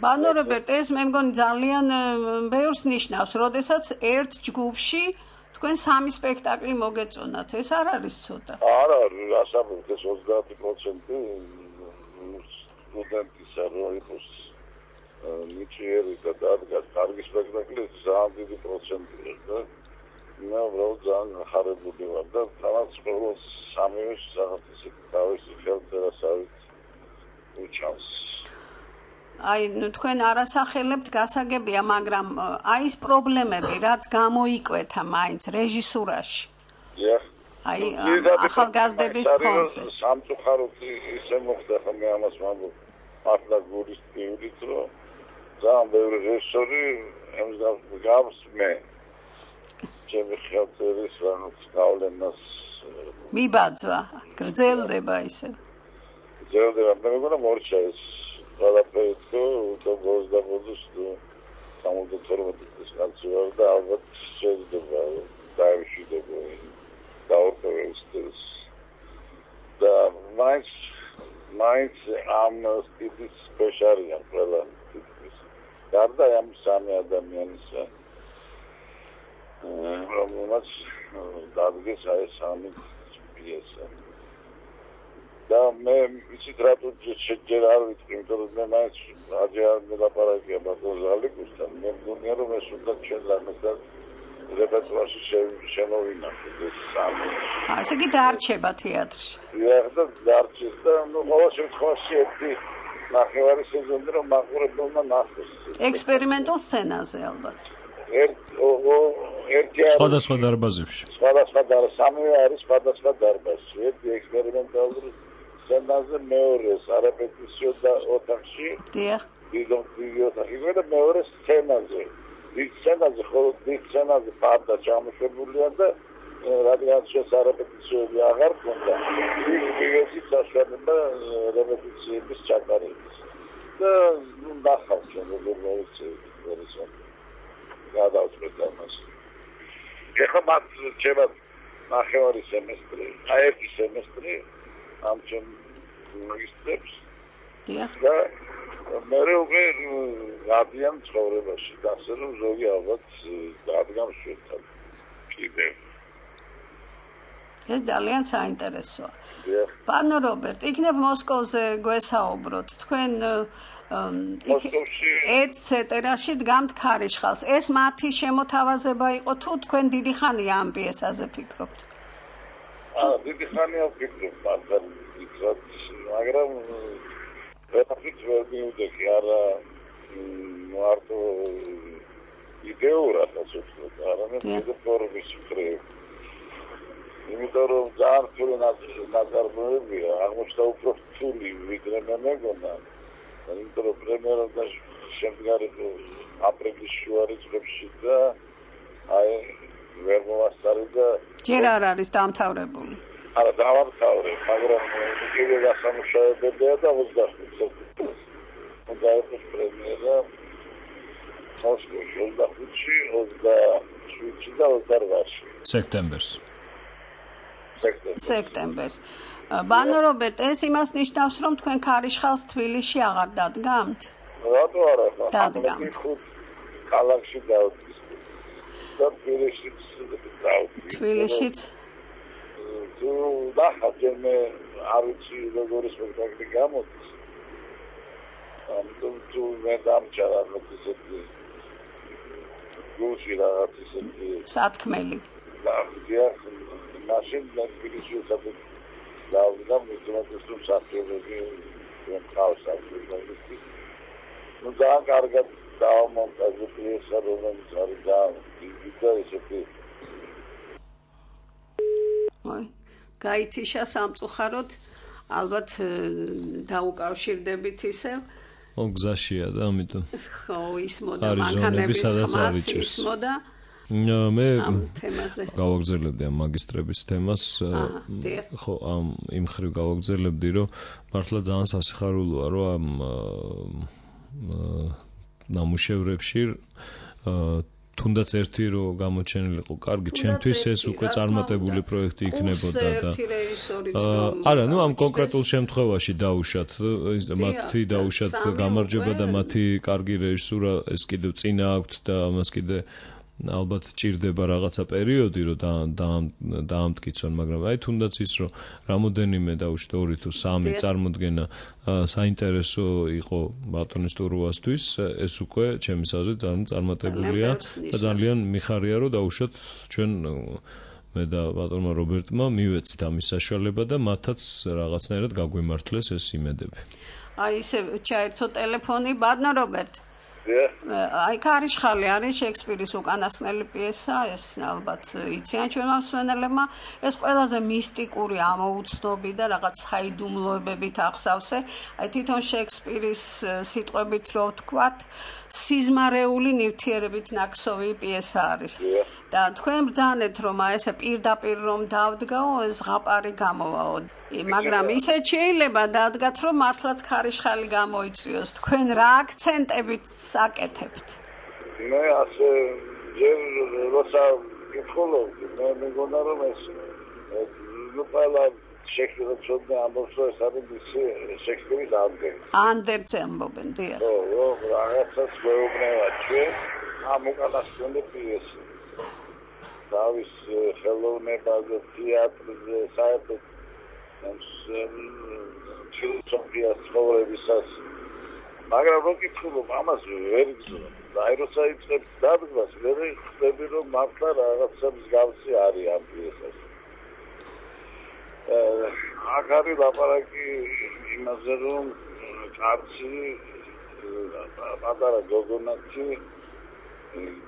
ბანო რობერტ, ეს მე მგონი ძალიან ბევრს ნიშნავს, როდესაც ერთ ჯგუფში თქვენ სამი სპექტაკლი მოგეწონათ. ეს არ არის ცოტა. არა, ასაბობთ ეს ოცდაათი პროცენტი სტუდენტისა რო იყოს მიჭიერი და დადგას კარგი სპექტაკლი, ძალიან დიდი პროცენტია და მე უბრალოდ ძალიან ხარებული ვარ და თამაც ყოველ სამივე რაღაც თავისი ხელწერასავით უჩანს. აი, ნუ თქვენ არასახელებთ გასაგებია, მაგრამ აი ეს პრობლემები, რაც გამოიკვეთა მაინც რეჟისურაში. დიახ. აი, ახალგაზრდების ფონზე. სამწუხაროდ ისე მოხდა, ხომ მე ამას ვამბობ, მართლა გულის ტიუდით, რომ ძალიან ბევრი რეჟისორი გავს მე. ჩემი ხელწერის რაღაც გავლენას მიბაძვა, გრძელდება ისე. გრძელდება, მე მგონა მორჩა ეს ყველაფერი თუ ოცდაოთხ სამოცდათორმეტი წლის კაცი ვარ და ალბათ შეიძლება დაიშვიდები დაურყევს და მაინც მაინც ამ სტილის სპეციალია ყველა ტიპის გარდა ამ სამი ადამიანისა რომელმაც დადგეს აი სამი პიესა და მე ისიც რატო შეჯერ არ ვიცი, იმიტომ რომ მე მაინც აჯერ მელაპარაკია ბატონ ზალიკოსთან, მე მგონია რომ ეს უნდა ჩვენ ლამაზად რეპერტუარში შემოვინახოთ ეს სამი. აა, ესე იგი დარჩება თეატრში. დიახ, და დარჩეს და ნუ ყოველ შემთხვევაში ერთი ნახევარი სეზონი რომ მაყურებელმა ნახოს. ექსპერიმენტულ სცენაზე ალბათ. ერთ ერთი სხვადასხვა დარბაზებში. სხვადასხვა დარბაზში, სამივე არის სხვადასხვა დარბაზში. ერთი ექსპერიმენტალური სცენაზე, მეორე სარეპეტიციო და ოთახში. დიახ. დიდ ოთახში და მეორე სცენაზე. დიდ სცენაზე, ხოლო დიდ სცენაზე პარდა ჩამოშებულია და რადგან შესარეპეტიციები აღარ ქონდა, ის მივეცი საშუალება რეპეტიციების ჩატარების. და ნახავთ ჩვენ როგორ მოიქცევთ. გადავწყვეტ ამას. ეხლა მათ ჩემად ნახევარი სემესტრი, აი ერთი სემესტრი ამ ჩემ მაგისტრებს. და მე უკვე გადიან ცხოვრებაში, და ასე რომ ზოგი ალბათ დადგამ შეთან. კიდევ. ეს ძალიან საინტერესოა. პანო რობერტ, იქნებ მოსკოვზე გვესაუბროთ. თქვენ ეტცეტერაში დგამთ ქარიშხალს. ეს მათი შემოთავაზება იყო თუ თქვენ დიდი ხანია ამ პიესაზე ფიქრობთ? აა, დიდი ხანია ვფიქრობ, მაგრამ ვერაფრით ვერ მივდექი, არა მარტო იდეურად, ასე ვთქვათ, არამედ კიდევ ფორმის მხრივ. იმიტომ რომ ძალიან რთული ნაწარმოებია, აღმოჩნდა უფრო რთული ვიდრე მე მეგონა. იმიტომ რომ პრემიერა და შემდგარი აპრილის შუა რიცხვებში და აი ვერ მოვასწარი და ჯერ არ არის დამთავრებული. არა, დავამთავრე, მაგრამ კიდევ დასამუშავებებია და ოცდახუთი სექტემბერს. უნდა იყოს პრემიერა მოსკოვში ოცდახუთში, ოცდაშვიდში და ოცდაოთხში. სექტემბერს. სექტემბერს. ბანო რობერტ, ეს იმას ნიშნავს, რომ თქვენ ქარიშხალს თბილისში აღარ დადგამთ? რატო არა? დადგამთ. ქალაქში დავდგის. და თბილისშიც დავდგის. თბილისშიც? თუ დახარჯენ მე არ ვიცი როგორი სპექტაკლი გამოდის. ამიტომ თუ მე დამჭარა რაღაც ისეთი გულში რაღაც ისეთი სათქმელი. და მაშინ თბილისში სადაც დავდგა მithmetes რომ საფრთხეები მყავს საფრთხეები. ნუ ძალიან კარგად დავამონტაჟე პიესა, რომელიც არის ძალიან დიდი ესეთი. აი, გაითიშა სამწუხაროდ, ალბათ დაუკავშირდებით ისევ. ო გზაშია და ამიტომ. ხო, ისმოდა მანქანების ხმაც ისმოდა. მე გავაგზავნებდი ამ მაგისტრების თემას, ხო, ამ იმ ხრივ გავაგზავნებდი, რომ მართლა ძალიან სასიხარულოა, რომ ამ ნამუშევრებში თუნდაც ერთი რო გამოჩენილიყო კარგი, ჩემთვის ეს უკვე წარმატებული პროექტი იქნებოდა და არა, ნუ ამ კონკრეტულ შემთხვევაში დაუშვათ, მათი დაუშვათ გამარჯვება და მათი კარგი რეჟისურა ეს კიდევ წინა აქვთ და ამას კიდე ალბათ ჭირდება რაღაცა პერიოდი, რომ დაამტკიცონ, მაგრამ აი თუნდაც ის, რომ რამოდენიმე დაუშვათ ორი თუ სამი წარმოდგენა საინტერესო იყო ბატონის ტურუასთვის, ეს უკვე ჩემის აზრით ძალიან წარმატებულია და ძალიან მიხარია, რომ დაუშვათ ჩვენ მე და ბატონმა რობერტმა მივეცით ამის საშუალება და მათაც რაღაცნაირად გაგვიმართლეს ეს იმედები. აი ისე ჩაერთო ტელეფონი, ბატონო რობერტ. აი ქარიშხალი არის შექსპირის უკანასკნელი პიესა, ეს ალბათ იციან ჩვენმა მსმენელებმა, ეს ყველაზე მისტიკური ამოუცნობი და რაღაც საიდუმლოებებით აღსავსე, აი თვითონ შექსპირის სიტყვებით რო ვთქვათ, სიზმარეული ნივთიერებით ნაკსოვი პიესა არის. და თქვენ ბრძანეთ, რომ აი ესე პირდაპირ რომ დავდგაო, ეს ზღაპარი გამოვაო. მაგრამ ისე შეიძლება დადგათ, რომ მართლაც ქარიშხალი გამოიწვიოს. თქვენ რა აქცენტებით საკეთებთ? მე ასე ჯერ როცა ვკითხულობდი, მე მეგონა რომ ეს ნუ ყველა შექსპირის ცოდნა ამბობს, რომ ეს არის შექსპირის ანდერძი. ანდერძი ამბობენ, დიახ. ხო, ხო, რაღაცას გვეუბნება ჩვენ ამ უკანასკნელი პიესა. დავის ხელოვნებაზე, თეატრზე, საერთოდ ფილოსოფიას ცხოვრებისას, მაგრამ რო კითხულობ, ამას ვერ გზნობ. აი როცა იწყებს დადგმას, ვერ ხვდები, რომ მართლა რაღაცა მსგავსი არის ამ პიესას. აქ არის ლაპარაკი იმაზე, რომ კაცი პატარა გოგონაცი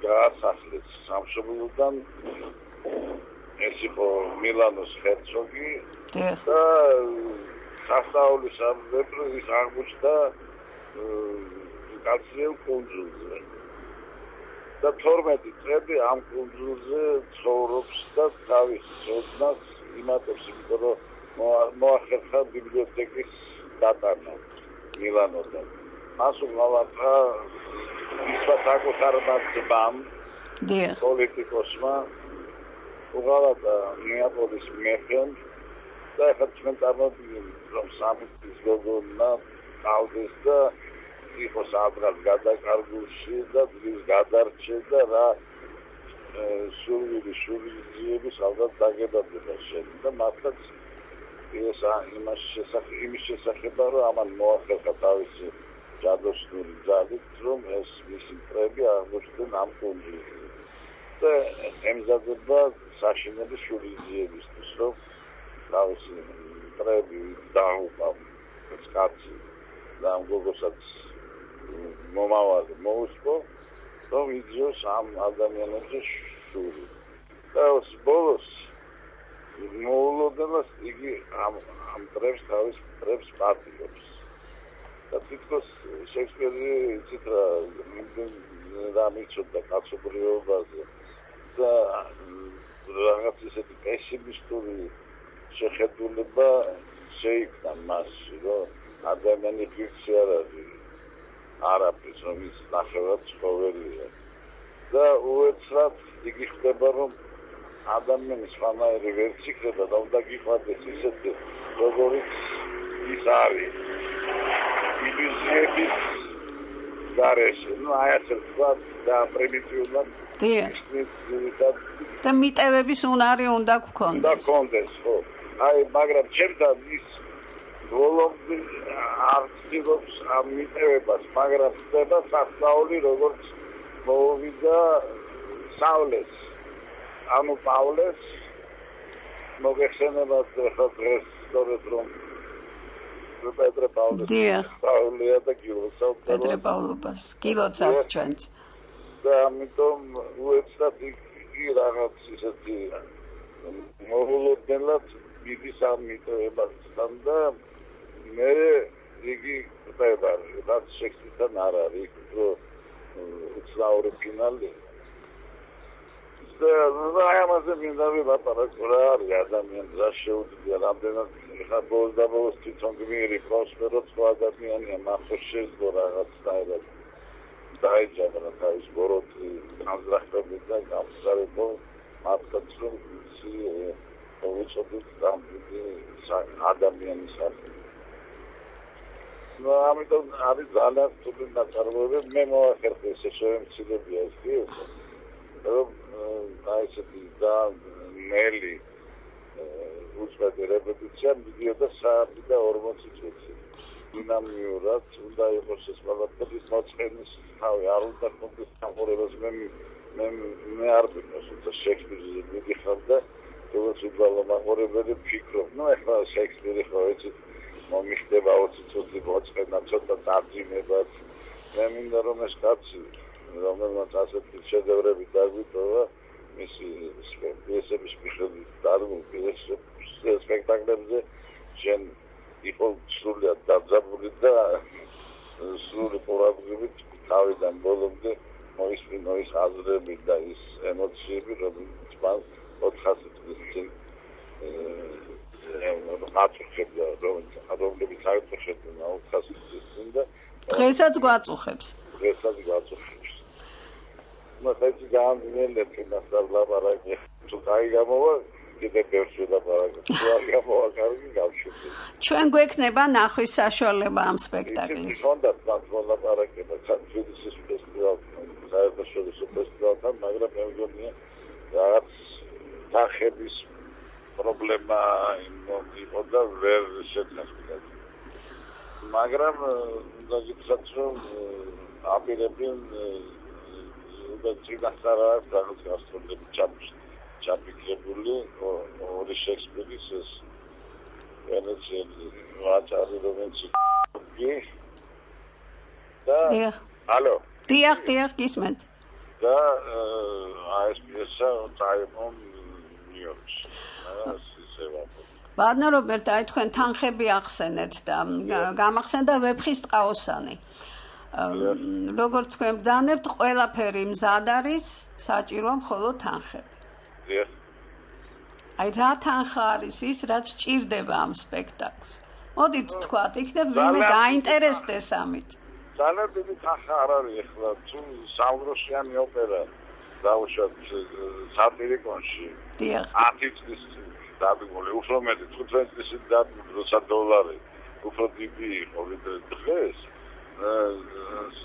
გაასახლეს სამშობლოდან, ეს იყო მილანოს ჰერცოგი და სასწაულის ამბებს აღმოჩნდა კაცრიელ კუნძულზე და თორმეტი წელი ამ კუნძულზე ცხოვრობს და თავის ცოდნას იმატებს, იმიტომ რომ მოახერხა ბიბლიოთეკის დატანა მილანოდან. მას უღალატა ისვა საკუთარმა ძმამ, დიახ. პოლიტიკოსმა უღალატ ნეაპოლის მეფემ და ახლა ჩვენ წარმოვიდგინეთ რომ სამი წლის გოგონა ყავდეს და იყოს აბრად გადაკარგულში და ძის გადარჩე და რა სულვილი სულვიები სადაც დაგებადება შენ და მართლაც ეს იმას შესახებ იმის შესახება რომ ამან მოახერხა თავისი ჯადოსნური ძალით რომ ეს მისი პრები აღმოჩნდნენ ამ კონჯილში და ემზადება საშინელი სულვიებისთვის რომ თავისი პრები დაუყავ ეს კაცი და ამ გოგოსაც მომავალი მოუსწრო რომ იძიოს ამ ადამიანებზე შური და os ბოლოს მოულოდნელად იგი ამ ამ პრებს თავის პრებს პატიობს და თვითონ შექსპირი ციტრა და მიწოდა კაცობრიობაზე და რაღაც ისეთი პესიმისტური შეხედულება შეიქმნა მასში რომ ადამიანი ფიქრი არ არის არაფერს რომ ის ნახევრად ცხოველია და უეცრად იგი ხდება რომ ადამიანის ხანაერი ვერ იქნება და უნდა გიყვარდეს ისეთი როგორიც ის არის ილუზიების გარეშე ну აი ასე ვთქვათ და პრიმიტიულად და მიტევების უნარი უნდა გქონდეს და გქონდეს ხო აი მაგრამ ჩემთან ის ბოლომდე არცილობს ამ მიტევებას მაგრამ ხდება სასწაული როგორც მოვიდა სავლეს ანუ პავლეს მოგეხსენებათ ახლა დღეს სწორედ რომ პეტრე პავლეს პავლია და გილოცავ პეტრე პავლობას გილოცავთ ჩვენც და ამიტომ უეცრად იგი რაღაც ისეთი მოულოდნელად მიდის ამ მიტევებასთან და მე იგი ხდება რაც შექსპირთან არ არის რომ უცნაური ფინალი და აი ამაზე მინდა ვაპარაკო რა არის ადამიანს რა შეუძლია რამდენად ხა ბოლოს და ბოლოს თვითონ გმირი პროსპერო სხვა ადამიანია მახო შეძლო რაღაცნაირად დაეჯაბრა თავის ბოროტი განზრახები და გამსარებო მართლაც რომ უწოდოთ ადამიანის სახელი ну ამიტომ არის ძალიან თუли ნაწარმოები მე მოახერხე ესე შემცირებია ეს კი რომ აი ესეთი და ნელი უწმედი რეპეტიცია მიდიოდა საათი და ორმოცი წუთი დინამიურად უნდა იყოს ეს ყველაფერი მოწყენის თავი არ უნდა კონკრეტ სამყურებას მე მე მე არ ვიყოს უცა შექსპირი მიდიხარ და როგორც უბრალო მაყურებელი ვფიქრობ ну ახლა შექსპირი ხო ეცი მომიხდება ოცი წუთი მოწყენა ცოტა დარწმუნებას მე მინდა რომ ეს კაცი რომელმაც ასეთი შედევრები დაგვიტოვა მისი პიესების მიხედვით დარგულ სპექტაკლებზე შენ იყო სრულად დაძაბული და სრული ყურადღებით თავიდან ბოლომდე მოისმინო ის აზრები და ის ემოციები რომელიც მან ოთხასი წლის წინ აწუხებდა რომლებიც აიწუხებდნენ ოთხასი წლის წინ და დღესაც გვაწუხებს დღესაც გვაწუხებს მოხეცი გამძლეობ იმასთან ლაპარაკი თუ კაი გამოვა კიდე ბევრს ვილაპარაკო თუ არ გამოვა კარგი გავშვები ჩვენ გვექნება ნახვის საშუალება ამ სპექტაკლის ხონდათ ლაპარაკება საერთაშორისო ფესტივალთან საერთაშორისო ფესტივალთან მაგრამ მე მგონია რაღაც თანხების პრობლემა იყო და ვერ შეცნეს მაგრამ დაგიცხადოთ რომ აპირებენ და წინასწარა რაღაც გასტროლები ჩაფიქრ ჩაფიქრებული ორი შექსპირის ეს ვენეცელი ვაჭარი რომელიც და ალო დიახ დიახ გისმენთ და აი ეს პიესა წაიღო ნიუ-იორკში ბატონო რობერტ აი თქვენ თანხები ახსენეთ და გამახსენდა ვეფხის ტყაოსანი როგორც თქვენ ბრძანებთ ყველაფერი მზად არის საჭიროა მხოლოდ თანხები აი რა თანხა არის ის რაც ჭირდება ამ სპექტაკლს მოდით თქვათ იქნებ ვინმე დაინტერესდეს ამით ძალიან დიდი თანხა არ არის ახლა თუ სამდროშიანი ოპერა დაუშვათ სატირიკონში ათი წლის დადგმული უფრო მეტი თხუთმეტი წლის დადგმული როცა დოლარი უფრო დიდი იყო ვიდრე დღეს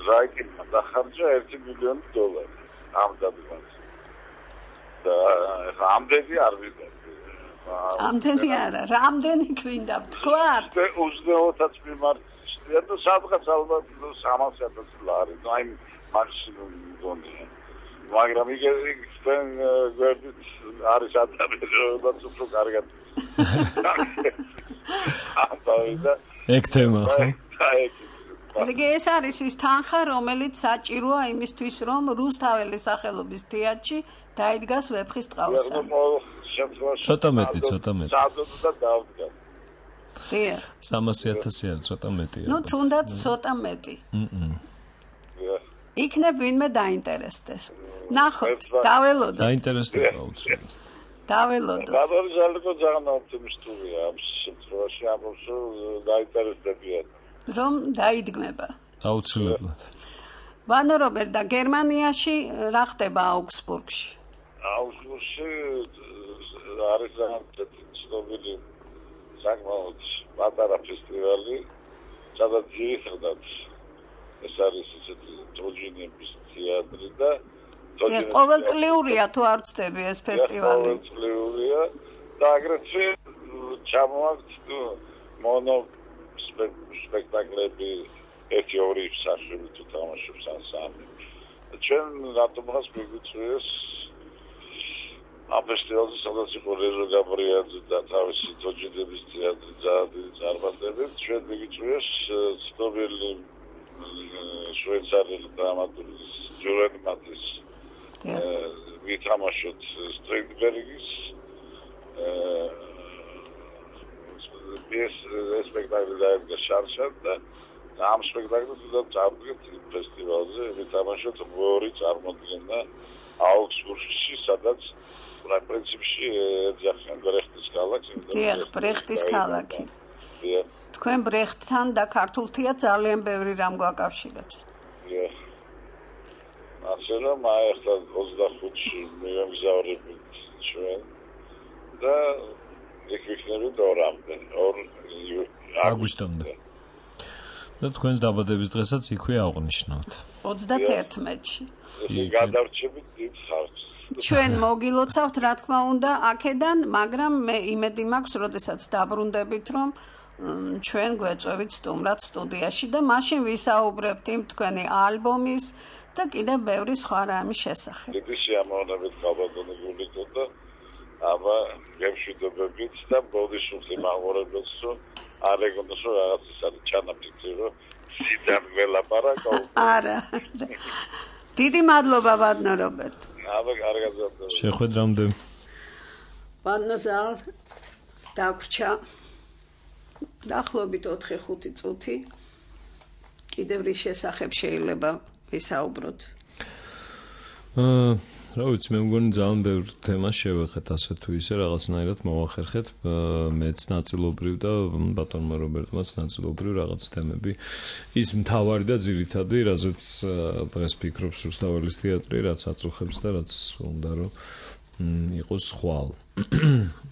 რაიკინმა დახარჯა ერთი მილიონი დოლარი ამ დადგმაზე და ამდენი არ ვიყავ ამდენი არა რამდენი გვინდა ვთქვათ ოცდაოთაც მიმართია და სადღაც ალბათ სამას ათასი ლარი აი მაქსიმუმ მგონია მაგრამ იგივე თქვენ გვერდით არის ადამიანი რაც უფრო კარგად ამბავდა ეგ თემა ხო ესე იგი ეს არის ის თანხა რომელიც საჭიროა იმისთვის რომ რუსთაველის სახელობის თეატრში დაიდგას ვეფხის ტყავსა ცოტა მეტი ცოტა მეტი სადოთ და დავდგა დიახ სამასი ათასი არის ცოტა მეტია ნუ თუნდაც ცოტა მეტი იქნებ ვინმე დაინტერესდეს ნახოთ დაველოდოთ დაინტერესდება უცბად დაველოდოთ გადარის ალკო ძალიან ოპტიმისტურია ამ შემთხვევაში ამბობს დაინტერესდებიან რომ დაიდგმება აუცილებლად ვანო რობერტ და გერმანიაში რა ხდება აუგსბურგში აუგსბურგში არის ძალიან ცნობილი საკმაოდ პატარა ფესტივალი სადაც ძირითადად ეს არის ისეთი თოჯინების თეატრი და ყოველწლიურია თუ არ ვწდები ეს ფესტივალი ყოველწლიურია და აგრეთვე ჩამოაქვთ მონო სპექტაკლები ერთი ორი საშვები თუ თამაშობს ან სამი ჩვენ რატომღაც მიგვიწვიეს ამ ფესტივალზე სადაც იყო რეზო გაბრიაძე და თავისი თოჯინების თეატრი ძალიან წარმატებით ჩვენ მიგვიწვიეს ცნობილი შვეიცარიელი დრამატურგის ჯურენ მატის ვითამაშოთ სტრინდბერგის ეს სპექტაკლი დაიდგა შარშად და ამ სპექტაკლს და წავდგეთ ფესტივალზე ვითამაშოთ ორი წარმოდგენა აუგსბურგში სადაც პრინციპში ეძახიან ბრეხტის ქალაქი დიახ ბრეხტის ქალაქი თქვენ ბრეხტთან და ქართულ თეატრს ძალიან ბევრი რამ გვაკავშირებს დიახ ასე რომ აი ახლა ოცდახუთში მივამგზავრებით ჩვენ და იქ ვიქნებით ორამდე ორ აგვისტომდე და თქვენს დაბადების დღესაც იქვე აღვნიშნავთ ოცდათერთმეტში გადარჩებით დიდ ხარჯს ჩვენ მოგილოცავთ რა თქმა უნდა აქედან მაგრამ მე იმედი მაქვს როდესაც დაბრუნდებით რომ ჩვენ გვეწევით სტუმრად სტუდიაში და მაშინ ვისაუბრებთ იმ თქვენი ალბომის და კიდევ ბევრი სხვა რამის შესახებ. დიდი შეამოვნებით გაბატონებული და აბა გემშვიდობებით და ბოდიშუხს იმაღორებელს რომ არ ეგონოს რომ რაღაც ის არის ჩანაფიქრი რომ სიდან ველაპარაკო. არა. დიდი მადლობა ბატონო რობერტ. აბა კარგად გასწავლე. შეხვედრამდე. ბატონო ზალ დაგვრჩა დაახლოებით ოთხი ხუთი წუთი კიდევ რის შესახებ შეიძლება ვისაუბროთ? აა რა ვიცი მე მგონი ძალიან ბევრ თემას შევეხეთ ასე თუ ისე რაღაცნაირად მოვახერხეთ მეც ნაწილობრივ და ბატონმა რობერტმაც ნაწილობრივ რაღაც თემები ის მთავარი და ძირითადი რაზეც დღეს ფიქრობს რუსთაველის თეატრი რაც აწუხებს და რაც უნდა რომ იყოს ხვალ.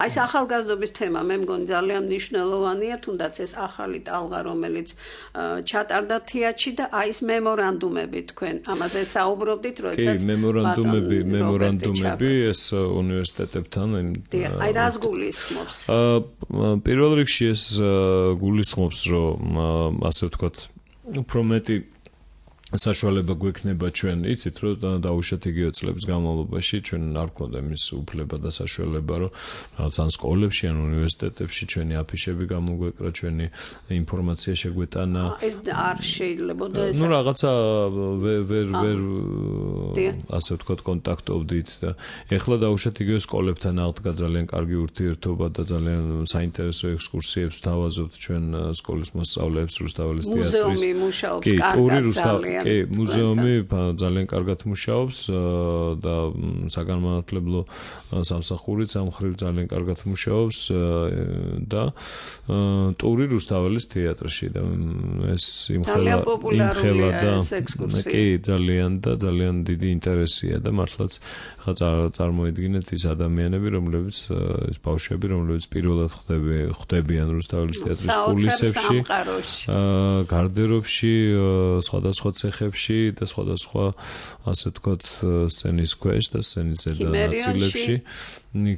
Այս ახალგაზრდობის თემა მე მგონი ძალიან მნიშვნელოვანია, თუნდაც ეს ახალი ტალღა, რომელიც ჩატარდა თეატრში და აი ეს მემორანდუმები თქვენ ამაზე საუბრობდით, როდესაც კი, მემორანდუმები, მემორანდუმები ეს უნივერსიტეტებთან აი რას გულისხმობს? პირველ რიგში ეს გულისხმობს, რომ ასე ვთქვათ, უფრო მეტი საშუალება გვექნება ჩვენ, იცით, რომ დაუშვათ იგივე წლების განმავლობაში ჩვენ არ გვქონდა იმის უფლება და საშუალება, რომ რაღაც ან სკოლებში, ან უნივერსიტეტებში ჩვენი აფიშები გამოგვეკრა, ჩვენი ინფორმაცია შეგვეტანა. ეს არ შეიძლება ეს. ნუ რაღაცა ვერ ვერ ვერ ასე ვთქვათ კონტაქტობდით და ეხლა დაუშვათ იგივე სკოლებთან აღდგა ძალიან კარგი ურთიერთობა და ძალიან საინტერესო ექსკურსიებს ვთავაზობთ ჩვენ სკოლის მოსწავლეებს რუსთაველის თეატრის. მუზეუმი მუშაობს კარგად ძალიან. ძალიან. კი, მუზეუმი ძალიან კარგად მუშაობს და საგანმანათლებლო სამსახურიც ამ მხრივ ძალიან კარგად მუშაობს და ტური რუსთაველის თეატრში და ეს იმხელა იმხელა და კი ძალიან და ძალიან დიდი ინტერესია და მართლაც ხა წარმოიდგინეთ ის ადამიანები, რომლებიც ეს ბავშვები, რომლებიც პირველად ხდები ხდებიან რუსთაველის თეატრის კულისებში, გარდერობში, სხვადასხვა ცეხებში და სხვადასხვა ასე ვთქვათ სცენის ქვეშ და სცენის ზედა ნაწილებში,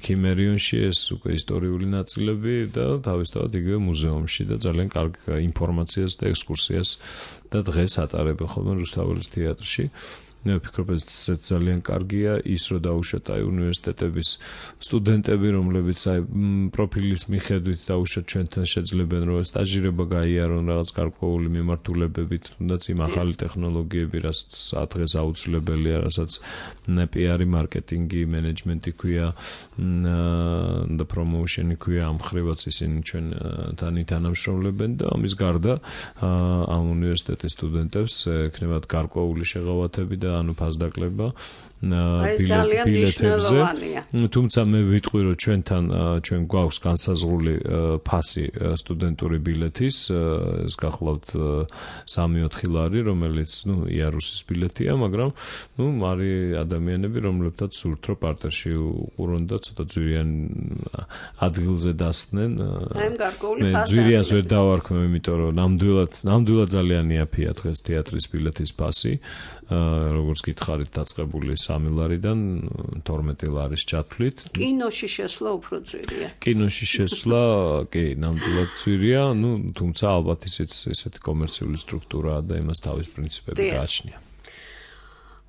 ქიმერიონში ეს უკვე ისტორიული ნაწილები და თავისთავად იგივე მუზეუმში და ძალიან კარგ ინფორმაციას და ექსკურსიას და დღეს ატარებენ ხოლმე რუსთაველის თეატრში. მე ვფიქრობ ეს ძალიან კარგია ის რომ დაუშვათ აი უნივერსიტეტების სტუდენტები რომლებიც აი პროფილის მიხედვით დაუშვათ ჩვენთან შეძლებენ რომ სტაჟირება გაიარონ რაღაც გარკვეული მიმართულებებით თუნდაც იმ ახალი ტექნოლოგიები რასაც დღეს აუცილებელია რასაც პიარი მარკეტინგი მენეჯმენტი ქვია და პრომოუშენი ქვია ამ ხრივაც ისინი ჩვენთან თანამშრომლებენ და ამის გარდა ამ უნივერსიტეტის სტუდენტებს ექნებათ გარკვეული შეღავათები და ანუ ფასდაკლება ბილეთებზე. თუმცა მე ვიტყვი რომ ჩვენთან ჩვენ გვაქვს განსაზღვრული ფასი სტუდენტური ბილეთის, ეს გახლავთ სამი-ოთხი ლარი, რომელიც ნუ იარუსის ბილეთია, მაგრამ ნუ არის ადამიანები, რომლებთაც სურთ რომ პარტერში უყურონ და ცოტა ძვირიან ადგილზე დასხდნენ. მე ძვირიანს ვერ დავარქმევ, იმიტომ რომ ნამდვილად ნამდვილად ძალიან იაფია დღეს თეატრის ბილეთის ფასი. როგორც გითხარით დაწყებული სამი ლარიდან თორმეტი ლარის ჩათვლით. კინოში შესვლა უფრო ძვირია. კინოში შესვლა, კი, ნამდვილად ძვირია, ну, თუმცა ალბათ ისიც ესეთი კომერციული სტრუქტურაა და იმას თავის პრინციპები გააჩნია.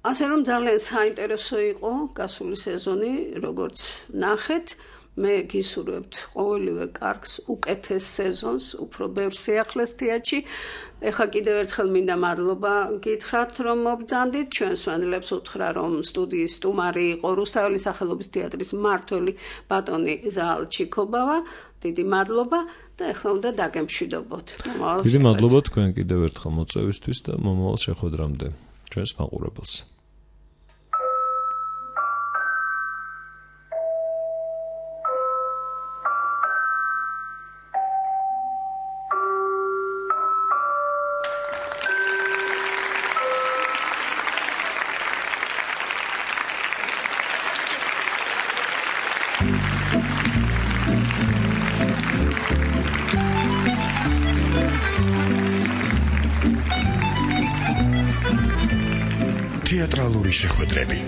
ასე რომ ძალიან საინტერესო იყო გასული სეზონი, როგორც ნახეთ. მე გისურვებთ ყოველივე კარგს, უკეთეს სეზონს, უფრო ბევრ სიახლეს თეატრში. ეხლა კიდევ ერთხელ მინდა მადლობა გითხრათ, რომ მობრძანდით. ჩვენს მადლებს უთხრა, რომ სტუდიის სტუმარი იყო რუსთაველის სახელობის თეატრის მმართველი ბატონი ზალჩიკობავა. დიდი მადლობა და ეხლა უნდა დაგემშვიდობოთ. დიდი მადლობა თქვენ კიდევ ერთხელ მოწვევისთვის და მომავალ შეხვედრამდე ჩვენს მაყურებელს. თეატრალური შეხვედრები